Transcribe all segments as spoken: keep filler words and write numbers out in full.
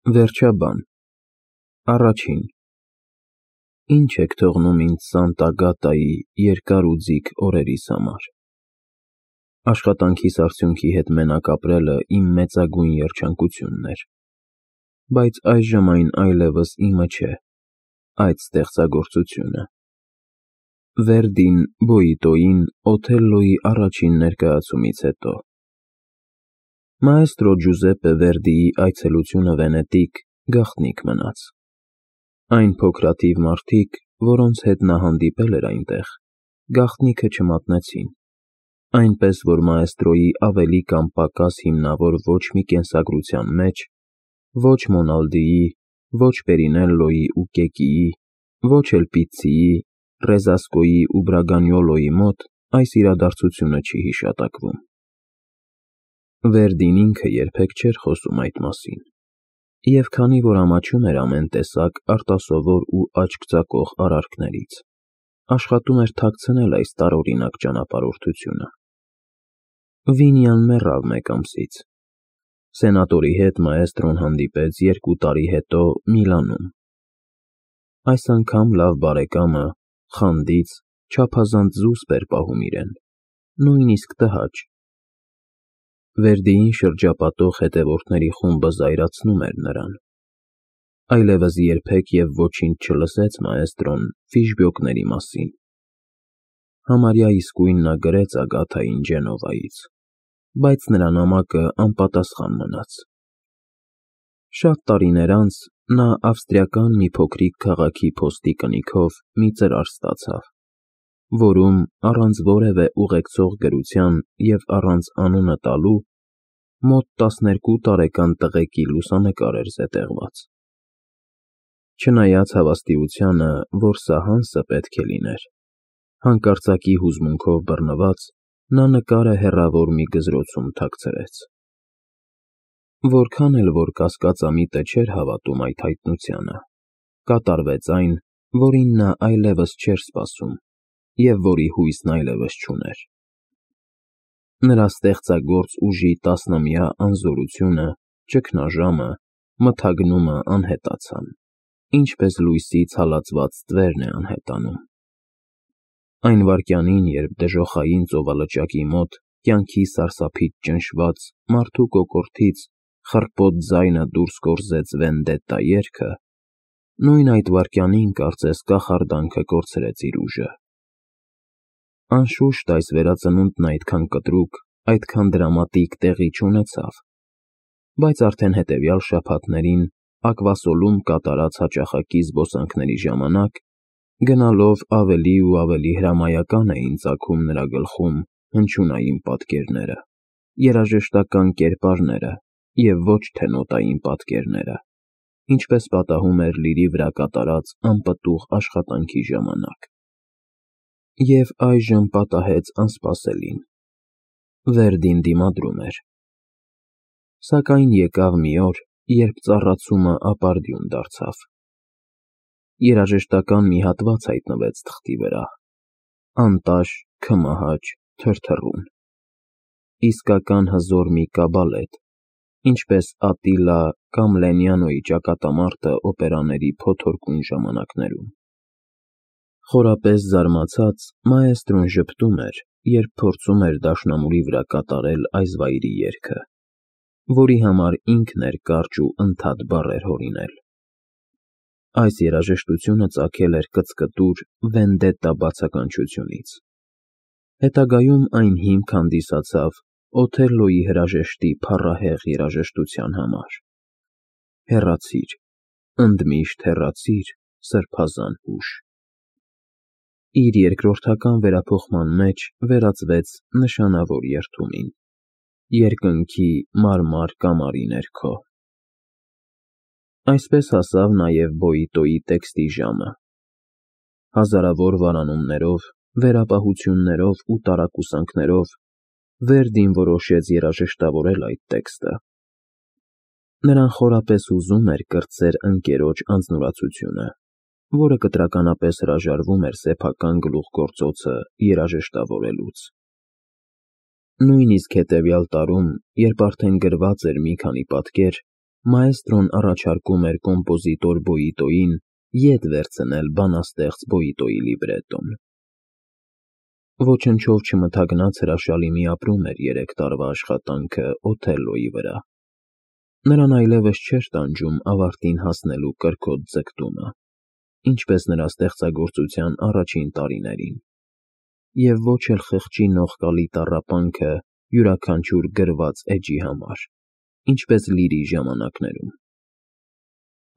Վերջաբան Առաջին Ինչ եք թողնում ինձ Սանտա֊Գատայի երկար ու ձիգ օրերիս համար։ Աշխատանքիս արդյունքի հետ մենակ ապրելը իմ մեծագույն երջանկությունն էր, բայց այժմ այն այլևս իմը չէ, այդ ստեղծագործությունը։ Վերդին Բոիտոյին Օթելլոյի առաջին ներկայացումից հետո։ Մաեստրո Ջուզեպպե Վերդիի այցելությունը Վենետիկ գաղտնիք մնաց։ Այն փոքրաթիվ մարդիկ, որոնց հետ նա հանդիպել էր այնտեղ, գաղտնիքը չմատնեցին, այնպես որ մաեստրոյի ավելի կամ պակաս հիմնավոր ոչ մի կենսագրության մեջ, ոչ Մոնալդիի, ոչ Պերինելլոյի ու Կեկիի, ոչ էլ Պիցցիի, Ռեզասկոյի ու Բրագանյոլոյի մոտ այս իրադարձությունը չի հիշատակվում։ Վերդին ինքը երբեք չէր խոսում այդ մասին, և քանի որ ամաչում էր ամեն տեսակ արտասովոր ու աչք ծակող արարքներից, աշխատում էր թաքցնել այս տարօրինակ ճանապարհորդությունը։ Վինյան մեռավ մեկ ամսից։ Սենատորի հետ մաեստրոն հանդիպեց երկու տարի հետո Միլանում։ Այս անգամ լավ բարեկամը, խանդից, չափազանց զուսպ էր պահում իրեն, նույնիսկ տհաճ։ Վերդիին շրջապատող հետևորդների խումբը զայրացնում էր նրան։ Այլևս երբեք և ոչինչ չլսեց մաեստրոն Ֆիշբյոկների մասին։ Համարյա իսկույն նա գրեց Ագաթային Ջենովայից, բայց նրա նամակը անպատասխան մնաց։ Շատ տարիներ անց նա ավստրիական մի փոքրիկ քաղաքի փոստի կնիքով մի ծրար ստացավ, որում, առանց որևէ ուղեկցող գրության և առանց անունը տալու, մոտ տասներկու տարեկան տղեկի լուսանկար էր զետեղված։ Չնայած հավաստիությանը, որ սա Հանսը պետք է լիներ, հանկարծակի հուզմունքով բռնված, նա նկարը հեռավոր մի գզրոցում թաքցրեց։ Որքան էլ որ կասկածամիտը չէր հավատում այդ հայտնությանը, կատարվեց այն, որին նա այլևս չէր սպասում և որի հույսն այլևս չուներ։ Նրա ստեղծագործ ուժի տասնամյա անզորությունը, ճգնաժամը, մթագնումը անհետացան, ինչպես լույսից հալածված ստվերն է անհետանում։ Այն վայրկյանին, երբ դժոխային ծովալճակի մոտ կյանքի սարսափից ճնշված մարդու կոկորդից խռպոտ ձայնը դուրս գոռզեց վենդետտա երգը, նույն այդ վայրկյանին, կարծես, կախարդանքը կորցրեց իր ուժը։ Անշուշտ, այս վերածնունդն այդքան կտրուկ, այդքան դրամատիկ տեղի չունեցավ, բայց արդեն հետևյալ շաբաթներին Ակվասոլում կատարած հաճախակի զբոսանքների ժամանակ, գնալով ավելի ու ավելի հրամայական էին ծագում նրա գլխում հնչյունային պատկերները, երաժշտական կերպարները և ոչ թե նոտային պատկերները, ինչպես պատահում էր լիրի վրա կատարած անպտուղ աշխատանքի ժամանակ։ Եվ այժմ պատահեց անսպասելին։ Վերդին դիմադրում էր։ Սակայն եկավ մի օր, երբ ծառացումը ապարդյուն դարձավ։ Երաժշտական մի հատված հայտնվեց թղթի վրա, անտաշ, քմահաճ, թրթռուն։ Իսկական հզոր մի կաբալետ, ինչպես Ատիլա կամ Լենյանոյի ճակատամարտը օպերաների փոթորկուն ժամանակներում։ Խորապես զարմացած, մաեստրոն ժպտում էր, երբ փորձում էր դաշնամուրի վրա կատարել այս վայրի երգը, որի համար ինքն էր կարճ ու ընդհատ բառեր հորինել։ Այս երաժշտությունը ծագել էր կծկտուր վենդետտա բացականչությունից։ Հետագայում այն հիմք հանդիսացավ Օթելլոյի հրաժեշտի փառահեղ երաժշտության համար։ Հեռացիր, ընդմիշտ հեռացիր, սրբազան հուշ։ Իր երկրորդական վերափոխման մեջ վերածվեց նշանավոր երդումին, երկնքի մարմար կամարի ներքո։ Այսպես հասավ նաև Բոիտոյի տեքստի ժամը։ Հազարավոր վարանումներով, վերապահություններով ու տարակուսանքներով Վերդին որոշեց երաժշտավորել այդ տեքստը։ Նրան խորապես ուզում էր կրտսեր ընկերոջ անձնուրացությունը, որը կտրականապես հրաժարվում էր սեփական գլուխգործոցը երաժշտավորելուց։ Նույնիսկ հետևյալ տարում, երբ արդեն գրված էր մի քանի պատկեր, մաեստրոն առաջարկում էր կոմպոզիտոր Բոյիտոյին ետ վերցնել բանաստեղծ Բոյիտոյի լիբրետոն։ Ոչնչով չմթագնած հրաշալի մի ապրում էր երեք տարվա աշխատանքը Օթելլոյի վրա։ Նրան այլևս չէր տանջում ավարտին հասնելու կրքոտ ձգտումը, ինչպես նրա ստեղծագործության առաջին տարիներին, և ոչ էլ խղճի նողկալի տառապանքը յուրաքանչյուր գրված էջի համար, ինչպես լիրի ժամանակներում։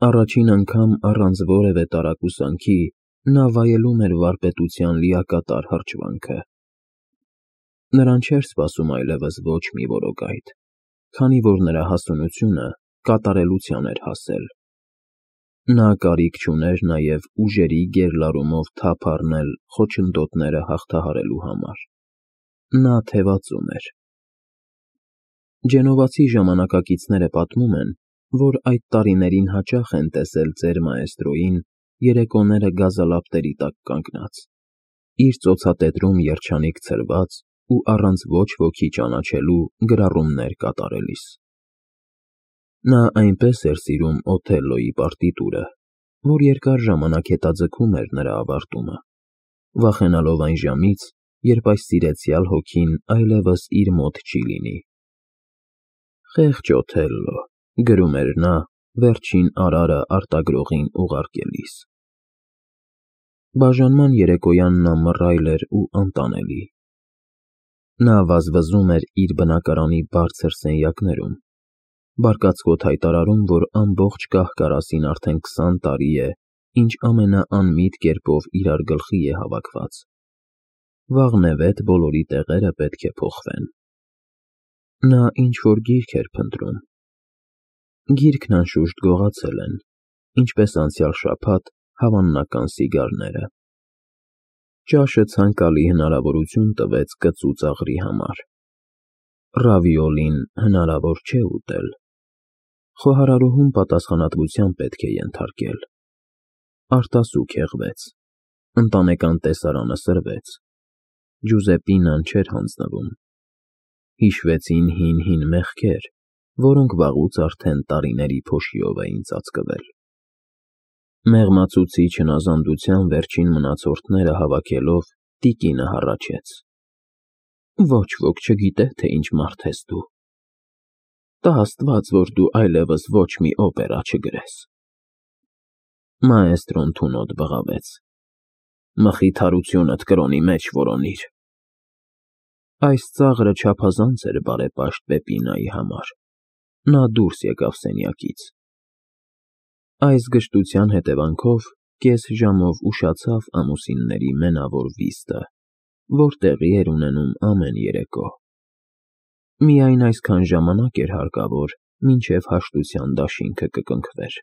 Առաջին անգամ առանց որևէ տարակուսանքի նա վայելում էր վարպետության լիակատար հրճվանքը։ Նրան չէր սպասում այլևս ոչ մի որոգայթ, քանի որ նրա հասունությունը կատարելության էր հասել։ Նա կարիք չուներ նաև ուժերի գերլարումով թափ առնել խոչընդոտները հաղթահարելու համար։ Նա թևածում էր։ Ջենովացի ժամանակակիցները պատմում են, որ այդ տարիներին հաճախ են տեսել ծեր մաեստրոյին երեկոները գազալապտերի տակ կանգնած, իր ծոցատետրում երջանիկ ցրված ու առանց ոչ ոքի ճանաչելու գրառումներ կատարելիս։ Նա այնպես էր սիրում Օթելլոյի պարտիտուրը, որ երկար ժամանակ հետաձգում էր նրա ավարտումը, վախենալով այն ժամից, երբ այս սիրեցյալ հոգին այլևս իր մոտ չի լինի։ «Խեղճ Օթելլո», գրում էր նա վերջին արարը արտագրողին ուղարկելիս։ Բաժանման երեկոյան նա մռայլ էր ու անտանելի։ Նա վազվզում էր իր բնակարանի բարձր սենյակներում, բարկացկոտ հայտարարում, որ ամբողջ կահ֊կարասին արդեն քսան տարի է, ինչ ամենաանմիտ կերպով իրար գլխի է հավաքված։ Վաղնևեթ բոլորի տեղերը պետք է փոխվեն։ Նա ինչ-որ գիրք էր փնտրում։ Գիրքն անշուշտ գողացել են, ինչպես անցյալ շաբաթ հավանական սիգարները։ Ճաշը ցանկալի հնարավորություն տվեց կծու ծաղրի համար։ Ռավիոլին հնարավոր չէ ուտել։ Խոհարարուհուն պատասխանատվության պետք է ենթարկել։ Արտասուք հեղվեց։ Ընտանեկան տեսարանը սրվեց։ Ջուզեպպինան չէր հանձնվում։ Հիշվեցին հին-հին մեղքեր, որոնք վաղուց արդեն տարիների փոշիով էին ծածկվել։ Մեղմացուցիչ հնազանդության վերջին մնացորդները հավաքելով տիկինը հառաչեց. «Ոչ ոք չգիտե, թե ինչ մարդ ես դու։ Տա Աստված, որ դու այլևս ոչ մի օպերա չգրես»։ Մաեստրոն թունոտ բղավեց. «Մխիթարությունդ կրոնի մեջ որոնիր»։ Այս ծաղրը չափազանց էր բարեպաշտ Պեպինայի համար։ Նա դուրս եկավ սենյակից։ Այս գժտության հետևանքով կես ժամով ուշացավ ամուսինների մենավոր վիզիտը, որ տեղի էր ունենում ամեն երեկո։ Միայն այսքան ժամանակ էր հարկավոր, մինչև հաշտության դաշինքը կկնքվեր։